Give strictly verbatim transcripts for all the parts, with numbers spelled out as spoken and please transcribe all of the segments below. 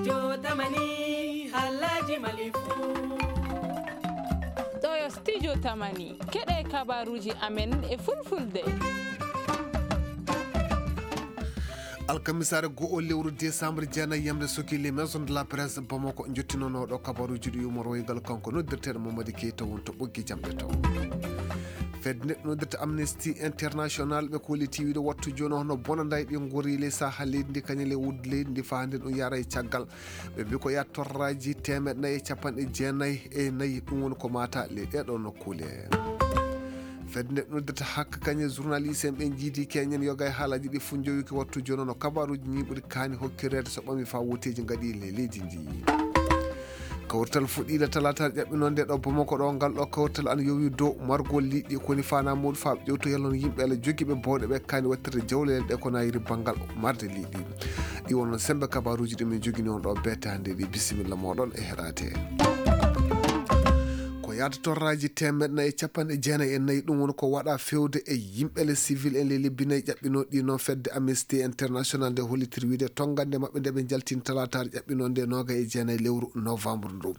Jotamani, halaji malifu. Ɗo yo studio Tamani. Keɗe kabaruji amen e fulfulde. Alkamisaare go'o lewru décembre jeenayi yamde soki les maisons de la presse Bamako jottinonooɗo kabaruji ɗi umoroygal kanko noddirteeɗo Mamadi Keita won to ɓoggi jamɗe to. Fedde nde noddirta Amnesty International ɓe kolliti wiide wattu jooni hono bonanday ɗi ngori ley saha leydi ndi kañum le wudde leydi ndi faa hannde ɗum yara e caggal. Ɓe mbi ko yaha torraji teemeɗɗe nayi e capanɗe jeenayi e nayi ɗum woni ko mata ley ɗeɗo nokkule. Fedde nde noddirta hakka kañe journaliste en ɓe jiidi keñen yoga e haalaji ɗi fof jowi ko wattu jooni no kabaruji ñiiɓude kaani hokkireede so ɓami faa woteeji ngaɗi le leydi ndi. Kawrital fuɗɗiiɗe talaataare ƴaɓɓinoo nde ɗo Bamako ɗo ngal ɗo kawrital ana yowi dow margol liɗɗi koni fana muuɗum faa ƴewto yalon yimɓe ala jogiiɓe bowɗe ɓe kaani wattirde jawlele ɗe ko nayiri banngal marde liɗɗi. Ɗi wonno sembe kabaruji ɗi min jogini on ɗo beetande ɗi bisimilla moɗon e heɗate. Ko yaata torraji temeɗɗe nayi e capanɗe jeenayi e nayi ɗum woni ko waɗa fewde e yimɓe le civil en le lebbi nayi ƴaɓɓinoɗi noon fedde Amnesty International nde hollitir wiide tongande maɓɓe nde ɓe jaltini talaataare ƴaɓɓinoo nde noga e jeenayi lewru novembre ndu.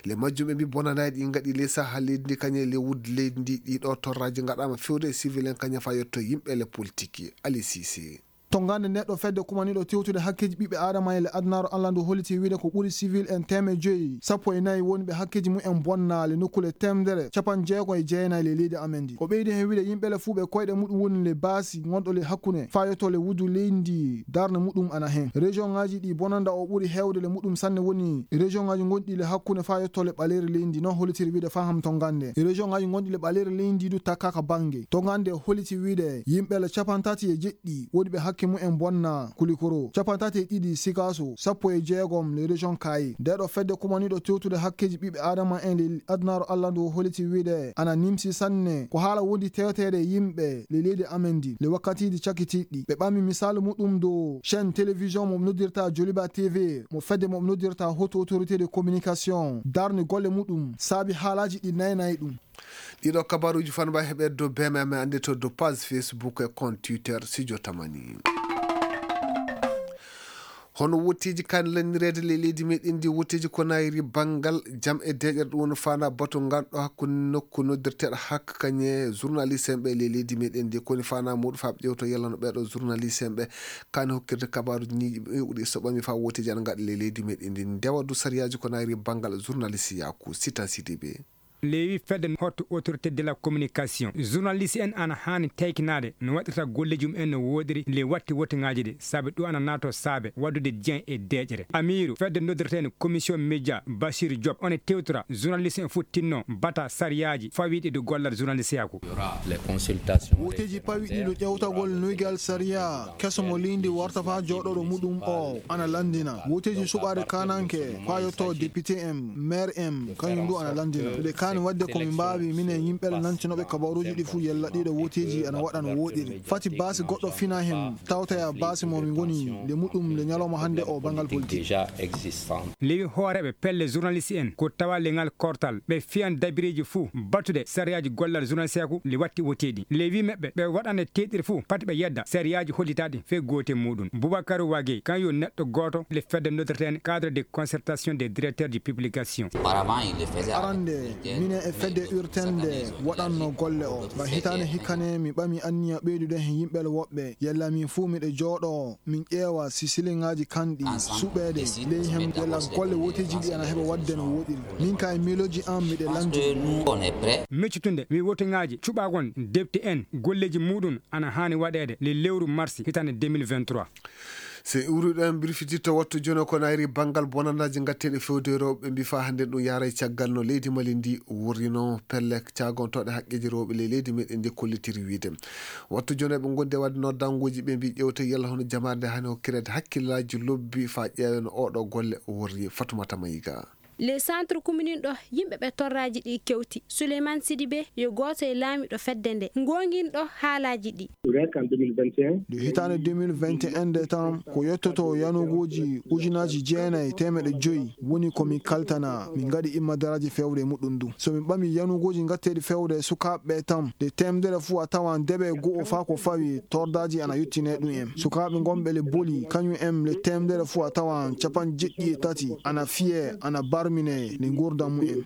Le majjum ɓe mbi bonanaɗi ɗi gaɗi le saha leydi ndi kañe le wudde leydi ndi ɗiɗo torraji gaɗama fewde e civil en kaña fa yetto yimɓe le politique. Ali Cissé. Tongande neɗɗo fedde kumaniɗo tewtude hakkeji ɓiɓɓe adama e le adunaaru Allah ndu holliti wiide ko ɓuri civil en teme joyi sappo e nayi woni ɓe hakkeji mumen bonnaali nokkule temedere capanɗe jeego e jeenayi le leydi amen ndi. O ɓeydi hen wiide yimɓe le fuu ɓe koyɗe muɗum woni le baasi gonɗo le hakkunde faa yetto le wuddu leydi ndi darnde muɗum ana hen. Région ngaji ɗi bonanda o ɓuri hewde le muɗum sanne woni région ngaji gonɗi le hakkunde faa yetto le ɓaleeri leydi ndi, non hollitiri wiide faham tongande. Région ngaji gonɗi le ɓaleeri leydi ndi du takkaka bange. Tongande holliti wiide yimɓe le capantati e jeɗɗi ɗi woni ɓe hakke mumen bonna Kulikoro, capantati e ɗiɗi Sikaso, sappo e jeegom le région Kayi. Nde ɗo fedde kumaniɗo tewtude hakkeji ɓiɓɓe adama en le adunaaru Allah ndu holliti wiide ana nimsi sanne ko haala wondi tewteede yimɓe le leydi amen ndi le wakkatiji cakitiɗɗi. Ɓe ɓami misaalu muɗum dow chaîne télévision mo noddirta Joliba T V mo fedde mo noddirta Haute Autorité de Communication darni golle muɗum saabi haalaji ɗi naynayi ɗum. Ɗiɗo kabaruji fanba heɓe dow B M M e annde to dow page Facebook e compte Twitter Studio Tamani. Hono wotteeji kan lannireede le leydi meɗen ndi wotteeji ko nayri banngal jam e deeƴere ɗum woni fana batu ngal ɗo hakkunde nokku noddirteeɗo hakka kañe journaliste en ɓe le leydi meɗen ndi koni fana muɗum faa ɓe ƴewto yalla no ɓeɗo journaliste en ɓe kani hokkirde kabaruji ñiiƴi ɓe ɓuri so ɓami faa wotteeji ana ngaɗa le leydi meɗen ndi ndewa du sariyaaji ko nayri banngal journaliste yaku Sitan Sidibe. Leewi fedde Haute Autorité de la Communication, journaliste en ana haani teykinaade no waɗirta golleeji mum en no wooɗiri le watti wottingaaji ɗi, sabi ɗum ana naato saabe waɗdude diyen e deeƴere. Amiiru fedde noddirteende Commission Média, Bachir Diop, one tewtora journaliste en fof tinno bata sariyaaji fawiiɗi ɗo gollal journaliste yaku. Woteeji pawiɗi ɗo ƴewtagol noygal sariya keso mo leydi warta faa jooɗoɗo muɗum o ana lanndina. Woteeji suɓaade kananke faa yotto député en, maire en, kañum du ana lanndina. Miɗe kaani waɗde ko min mbaawi minen yimɓe le nantinooɓe kabaruuji ɗi fuu yella ɗiɗo woteeji ana waɗa no wooɗiri. Fati baasi goɗɗo fina hen tawtoya baasi mo mi ngoni le muɗum le ñalawma hannde o banngal politique. Lewi hooreeɓe pelle journaliste en ko tawa le ngal kortal ɓe fiyan dabireeji fuu battude sariyaaji gollal journalisteyaku le watti woteeɗi. Lewi maɓɓe ɓe waɗande teeɗiri fuu pati ɓe yedda sariyaaji hollitaaɗi fee goote muɗum. Boubacar Wagey kan yo neɗɗo gooto le fedde noddirteene cadre de concertation des directeurs de publication. Arande minen e fedde urtende waɗanno golle o ba hitaande hikkane mi ɓami anniya ɓeydude hen yimɓe le woɓɓe yalla min fuu miɗe jooɗo min ƴeewa si siliŋaaji kanɗi suɓeede ley hem yalla golle woteeji ɗi ana heɓa waɗde no wooɗiri. Min ka e miilooji an miɗe lanndi. Miccutunde mi wotiŋaaji cuɓaagon depte en golleeji muɗum ana haani waɗeede le lewru marsi hitaande deux mille vingt-trois. So en iwruɗo en mbirfitirto wattu jono ko nayri banngal bonannaaji ngatteeɗi fewde rewɓe mbi faa hannde ɗum yaara e caggal no leydi Mali ndi wurrino pelle caagontooɗe haqqeeji rewɓe ley leydi meɗen ndi kollitiri wiide wattu jono eɓe ngondi e waɗde noddanguuji ɓe mbi ƴewte yalla hono jamaare nde hani hokkireede hakkillaaji lobbi faa ƴeewe no oɗo golle wurri. Fatumata Mayiga. Les centres communes ɗo yimɓe ɓe torraaji ɗi kewti. Souleymane Sidibé yo gooto e laamiiɗo fedde nde goonginɗo haalaaji ɗi. Nde hitaande deux mille vingt et un nde tan, ko yettoto yanugooji ujunaaji jeenayi e teemeɗɗe joyi woni ko min kaltana, min ngaɗi immadaraaji fewre e muɗum ndu. So min ɓami yanugooji ngatteeɗi fewre e sukaaɓe ɓe tan, nde teemedere fuu a tawan debe go'o faa ko fawi tordaaji ana yottinee ɗum en. Sukaaɓe ngonɓe le Boli, kañum en le teemedere fuu a tawan capanɗe jeɗɗi e tati ana fiyee, ana barminee le nguurndam mum en.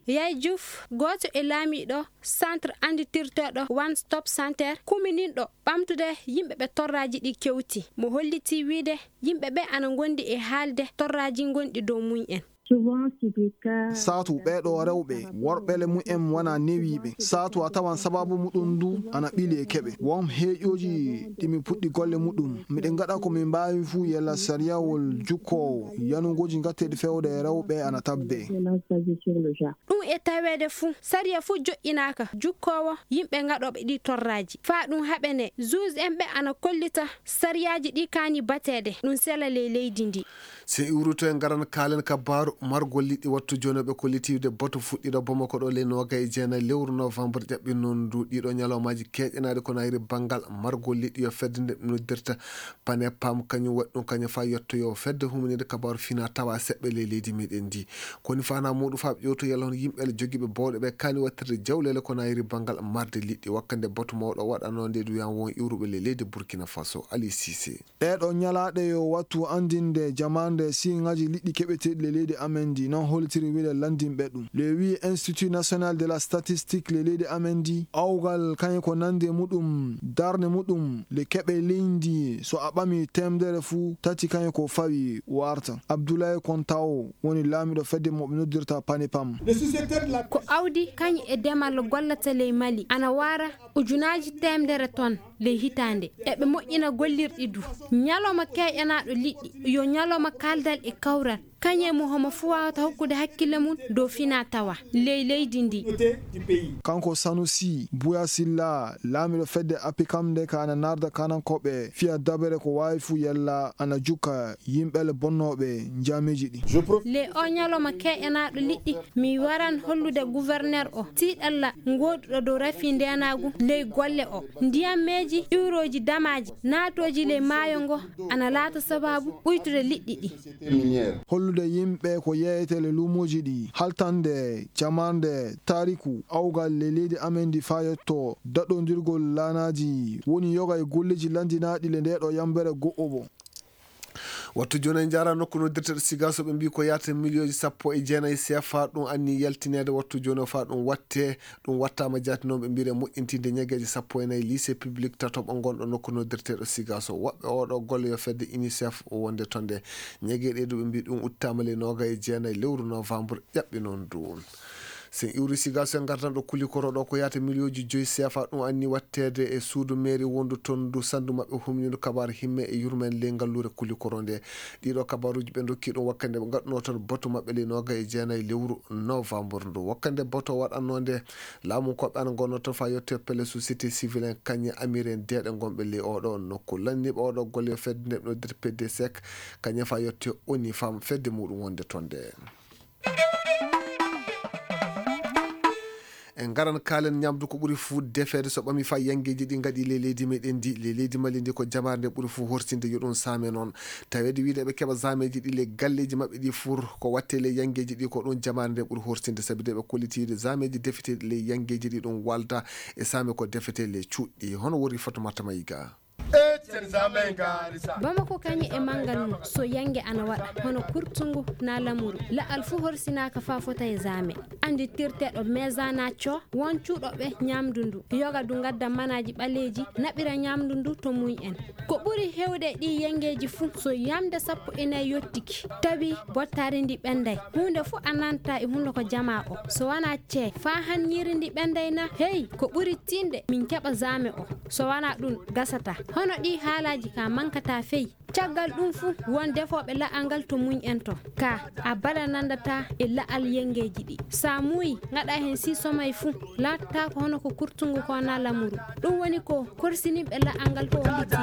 Yaay Juuf, gooto e laamiiɗo centre annditirteeɗo One Stop Center, kumininɗo ɓamtude yimɓe ɓe torraaji ɗi kewti. Mo hollitii wiide yimɓe ɓe ana ngondi e haalde torraaji ngonɗi dow mum en. Saatu ɓeeɗo rewɓe, worɓe le mum en wona newiiɓe. Saatu a tawan sabaabu muɗum ndu ana ɓili e keɓe. Won heeƴooji ɗi min puɗɗi golle muɗum. Miɗen ngaɗa ko min mbaawi fuu yalla sariyawol jukkoowo yanugooji ngatteeɗi fewde e rewɓe ana tabbee. Ɗum e taweede fuu, sariya fuu joƴƴinaaka jukkoowo yimɓe ngaɗooɓe ɗii torraaji. Faa ɗum haɓenee, juge en ɓe ana kollita sariyaaji ɗii kaani bateede, ɗum sela ley leydi ndii. Sen iwruto en ngaran kaalen kabaaru margol liɗɗi. Wattu jooni ɓe kollitiiwde batu fuɗɗiiɗo Bamako ɗo ley noogay e jeenayi lewru novembre ƴaɓɓi noon ndu. Ɗiiɗo ñalawmaaji keeƴanaaɗi ko nayri banngal margol liɗɗi yo fedde nde noddirta Pane Pam, kañum waɗi ɗum kañum faa yettoyoo fedde huminide kabaaru fina tawa seɓɓe ley leydi meɗen ndi. Koni fana muɗum faa ɓe ƴewto yalla hono yimɓe le jogiiɓe bowɗe ɓe kaani wattirde jawlele ko nayri banngal marde liɗɗi. Wakkande batu mawɗo waɗanoo nde ɗum yan won iwruɓe ley leydi Burkina Faso, Ali Cissé. Ɗeeɗo ñalaaɗe yo wattu anndinde jamaande siiŋaaji liɗɗi keɓeteeɗi le leydi amen ndi, non hollitiri wiide lanndinɓe ɗum. Le wi Institut National de la Statistique le leydi amen ndi, awgal kañum ko nannde muɗum, darnde muɗum, le keɓe leydi so a ɓami teemedere fuu tati kañum ko fawi warta. Abdoulaye Kontao woni laamiiɗo fedde mo ɓe noddirta Panipam. Ko awdi kañum e demal gollata ley Mali, ana waara ujunaaji teemedere ton ley hitaande. Eɓe moƴƴina gollirɗi du. Ñalawma keeƴanaaɗo liɗɗi, yo ñalawma kaaldal e kawral. Kañum e mo homo fuu waawata hokkude hakkille mum dow fina tawa ley leydi ndi. Kanko Sanusi Buya Silla, laamiiɗo fedde Apikam nde ka ana narda kanankooɓe fiya dabere ko waawi fuu yalla ana jukka yimɓe le bonnooɓe njaameeji ɗi. Le o ñalawma keeƴanaaɗo liɗɗi, mi waran hollude gouverneur o tiiɗalla ngooduɗo dow rafi ndeenaagu ley golle o. Ndiyammeeji iwrooji damaaji naatooji ley maayo ngo ana laata sabaabu ɓuytude liɗɗi ɗi. Hollude yimɓe ko yeeyete le luumooji ɗi, haltande, jamarnde, taariku, awgal le leydi amen ndi faa yetto daɗondirgol laanaaji, woni yoga e golleeji lanndinaaɗi le ndeeɗo yambere go'obo. Wattu jooni en njaara nokku noddirteeɗo Sigaso, ɓe mbii ko yaata miliyooji sappo e jeenayi C F A ɗum anni yaltineede wattu jooni o faa ɗum watte. Ɗum wattaama jaati noon ɓe mbiire moƴƴintinde ñageeje sappo e nayi lycée public tatoɓo ngonɗo nokku noddirteeɗo Sigaso. Woɓɓe oɗo golle yo fedde UNICEF wonde to nde. Ñageeɗe ɗu ɓe mbii ɗum uttaama le nooga e jeenayi lewru novembre ƴaɓɓi noon du. Sen iwri Sigaso en ngartan ɗo Kulikoro ɗo ko yaata miliyooji joyi C F A ɗum anni watteede e suudu meeri wondu toon ndu sandu maɓɓe humnindu kabaar himme e yurmen ley ngalluure Kulikoro nde. Ɗiɗo kabaaruuji ɓe ndokki ɗum wakkande ɓe ngaɗunoo toon batu maɓɓe ley nooga e jeenayi lewru novembre ndu. Wakkande batu waɗannoo nde laamu koɓe ana ngonnoo toon faa yotte pelle société civile en kañe amir en deeɗe ngonɓe ley oɗo nokku. Lanniiɓe oɗo golle yo fedde nde ɓe noddirta P D sec kañe faa yotte ONU Femmes fedde muɗum wonde toon nde. En ngaran kaalen ñamdu ko ɓuri fuu defeede so ɓami faa yangeeji ɗi ngaɗi ley leydi meɗen ndi. Ley leydi Mali ndi ko jamaare nde ɓuri fuu horsinde yo ɗum saame noon. Taweede wiide eɓe keɓa saameeji ɗi ley galleeji maɓɓe ɗi fur ko watte ley yangeeji ɗi ko ɗum jamaare nde ɓuri horsinde sabi de ɓe kolliti wiide saameeji defeteeɗi ley yangeeji ɗi ɗum walda e saame ko defetee ley cuuɗi. Hono wori Fatumata Mayiga. Bamako kañum e manngal mum, so yannge ana waɗa, hono kurtungu naa lamuru, la'al fuu horsinaaka faa fota e zaame. Annditirteeɗo Mezana Co, won cuuɗooɓe ñaamdu ndu, yoga du ngadda manaaji ɓaleeji, naɓira ñaamdu ndu to mum en. Ko ɓuri heewde e ɗii yanngeeji fuu, so yamnde sappo e nayi yottike, tawi bottaari ndi ɓenday. Huunde fuu a nanta e hunnduko jamaa o, so wanaa cee, faa han ñiiri ndi ɓenday na? Hey, ko ɓuri tiiɗde min keɓa zaame o. So wanaa ɗum, gasataa. Hono ɗii haalaaji ka mankataa fey. Caggal ɗum fuu, won defooɓe la'al ngal to mum en to. Ka a bala nanndataa e la'al yanngeeji ɗi. So a muuyi, ngaɗaa heen sii somay fuu, laatataa ko hono ko kurtungu ko naa lamuru. Ɗum woni ko korsinimɓe la'al ngal ko hollitii.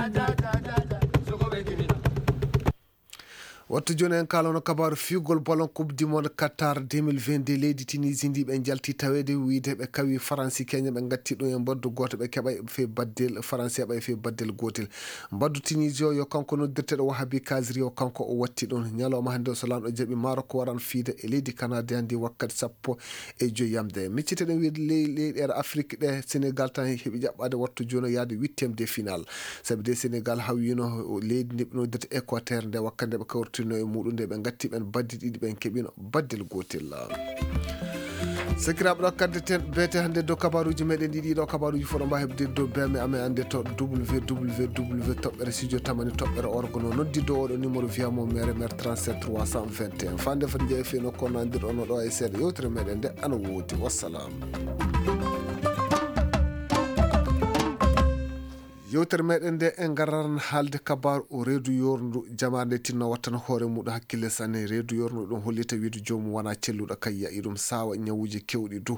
Wattu jooni en kaalano kabaaru fiyugol ballon Coupe du Monde Qatar deux mille vingt-deux. Leydi Tunisie ndi ɓe njalti taweede wiyde ɓe kawi Faransi keña, ɓe ngatti ɗum e mbaddu gooto, ɓe keɓay fee baddel, Faransi heɓay fee baddel gootel. Mbaddu Tunisie o yo kanko noddirteeɗo Wahabi Kazri o, kanko o watti ɗum. Ñalawma hannde o so laamɗo jaɓi, Maroc waran fiyde e leydi Canada ndi wakkati sappo e joyi yamde. Micciteɗen wiyde ley-, leyɗeele Afrik ɗe, Sénégal tan heɓi jaɓɓaade wattu jooni o yaade huitième de finale. Sabi de Sénégal hawyiino leydi ndi ɓe noddirta Équateur nde wakkati nde ɓe kawritiino e muɗum nde ɓe ngatti ɓen baddi ɗiɗi ɓen keɓino baddel gootel. Sakiraaɓe ɗo kadde ten beete hannde dow kabaruuji meɗen ɗiɗi ɗo kabaruuji fof ɗo mbawi heɓde dow beme amen hannde to W W W toɓɓere studio tamani toɓɓere orgono noddi dow oɗo numéro via mo mere mere trente-sept trois cent vingt et un. Fande foti jeeyi feno ko nandir ono ɗo e seeɗa yewtere meɗen nde ana woodi. Wassalam. Yewtere meɗen nde en ngararan haalde kabaaru o reedu yorndu jamaare nde tinno wattana hoore muɗum hakkille sanne. Reedu yorndu ɗum hollita wiide joomum wona celluɗo kay yayi ɗum sawa ñawuji kewɗi du.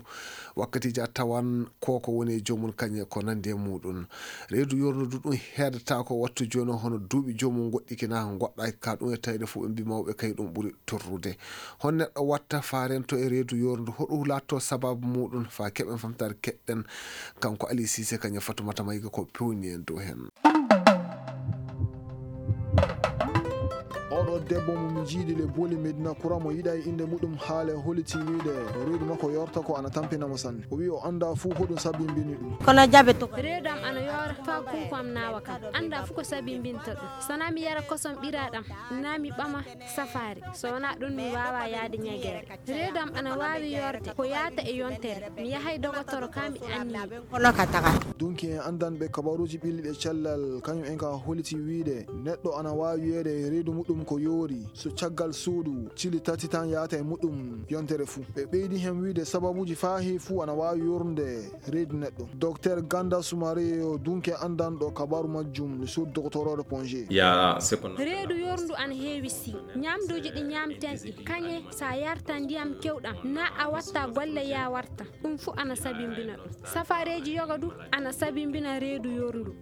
Wakkatiji a tawan ko ko woni e joomum kañe ko nandi e muɗum. Reedu yorndu du ɗum heedata ko wattu jooni hono duuɓi joomum goɗɗiki na goɗɗa ka ɗum e tawde fof ɓe mbi mawɓe kay ɗum ɓuri torrude. Hon neɗɗo watta fa rento e reedu yorndu hoɗo laatto sababu muɗum fa keɓen famtare keɗɗen. Kanko Ali Cissé kañum Fatoumata Maïga ko pewni en dow hen. Oɗo debbo mo mi jiiɗi le booli Medina Kura mo yiɗa e innde muɗum haale holiti wiide reedu makko yorta ko ana tampina mo sanne. O wi o annda fuu hoɗum sabimbini ɗum. Kono jaɓe to. Reedu am ana yoora fa kunko am naawa kam. Annda fuu ko sabimbinta ɗum. Sana mi yara kosom ɓiraaɗam, na mi ɓama safaari. So wonaa ɗum mi waawaa yahde ñegeere. Reedu am ana waawi yoorde ko yaata e yontere. Mi yahay dogotoro ka mi anniyi. Dunki en anndanɓe kabaruuji ɓilliiɗe cellal, kañum en ka holiti wiide neɗɗo ana waawi wiyeede reedu muɗum ko yoori so caggal suudu cili tati tan yaata e muɗum yontere fuu. Ɓe ɓeydi hen wiide sababuuji faa heewi fuu ana waawi yoornude reedu neɗɗo. Docteur Ganda Soumaré yo dunke anndanɗo kabaaru majjum le sur doctorore Pongé. Reedu yoorndu ana heewi si ñamduuji ɗi ñamten ɗi kañe sa yarta ndiyam kewɗam na a watta golle ya warta. Ɗum fuu ana sabimbina ɗum. Safareeji yoga du ana sabimbina reedu yoorndu.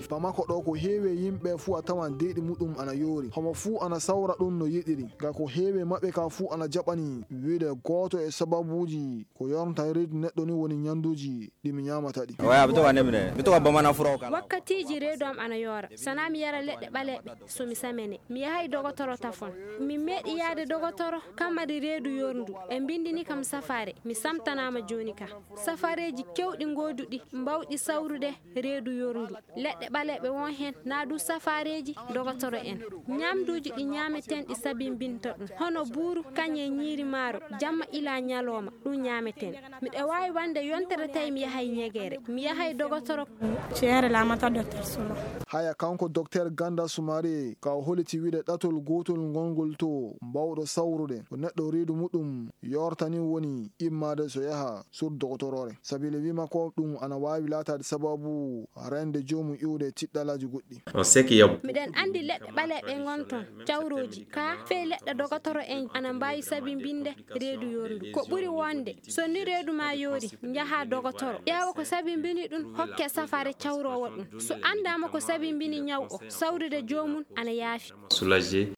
Bamako ɗo ko heewi yimɓe fuu a tawan deeɗi muɗum ana yoori. Homo fuu ana sawra ɗum no yiɗiri. Ga ko heewi maɓɓe ka fuu ana jaɓani wiide gooto e sababuuji ko yornta reedu neɗɗo ni woni ñanduuji ɗi mi ñaamata ɗi. Oya, mi toka nemne. Mi toka bamana fura o kala. Wakkatiiji reedu am ana yoora. Sana mi yara leɗɗe ɓaleeɓe so mi samene. Mi yahay dogotoro tafon. Mi meeɗi yahde dogotoro kam mari reedu yoorndu. Ɓe mbindini kam safaare. Mi samtanaama jooni ka. Safareeji kewɗi gooduɗi mbawɗi sawrude reedu yoorndu. Leɗɗe ɓaleeɓe won heen, na du safareeji dogotoro en. Ñamduuji ɗi ñaameten ɗi sabimbinta ɗum. Hono buuru, kañe, ñiiri maaro, jamma ila ñalooma, ɗum ñaameten. Miɗa waawi wonde yontere tawi mi yahay ñegeere. Mi yahay dogotoro. Ceere laamata Docteur Solo. Haya kanko Docteur Ganda Soumaré, ka o holiti wiide ɗatol gootol ngolngol to mbawɗo sawrude. Ko neɗɗo reedu muɗum yortani woni immaade so yaha sur dogotoroore. Sabiile wi makko ɗum ana waawi laataade sababu rende joomum iwde tiɗɗalaaji goɗɗi. Miɗen anndi leɗɗe ɓaleeɓe ngon ton, cawrooji, ka fey leɗɗe dogotoro en ana mbaawi sabimbinde reedu yoorndu. Ko ɓuri wonde, so ni reedu ma yoori, njaha dogotoro. Ƴeewa ko sabimbini ɗum, hokke safaare cawroowo ɗum. So anndaama ko sabimbini ñaw o, sawrude joomum ana yaafi.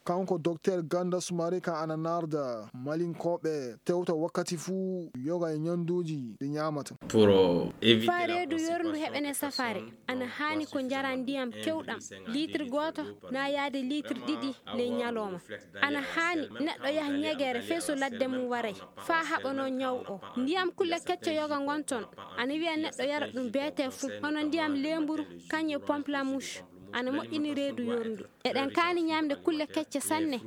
Kanko Docteur Ganda Soumaré ka ana narda malinkooɓe tewta wakkati fuu yoga e ñanduuji ɗi ñaamata. Fa reedu yoorndu heɓene safaare, ana haani ko njara ndiyam kewɗam, liitir gooto na yaade liitir ɗiɗi ley ñalooma. Ana haani neɗɗo yaha ñegeere fey so ladde mum waray, fa haɓanoo ñaw o. Ndiyam kulle kecce yoga ngon ton, ana wiya neɗɗo yara ɗum beete fuu, hono ndiyam leemburu, kañe pamplemousse. Ana moƴƴini reedu yoorndu. Eɗen kaani ñaamde kulle kecce sanne.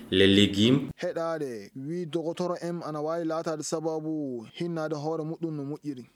Les légumes. Heɗaade, wi dogotoro en ana waawi laataade sababu hinnaade hoore muɗum no moƴƴiri.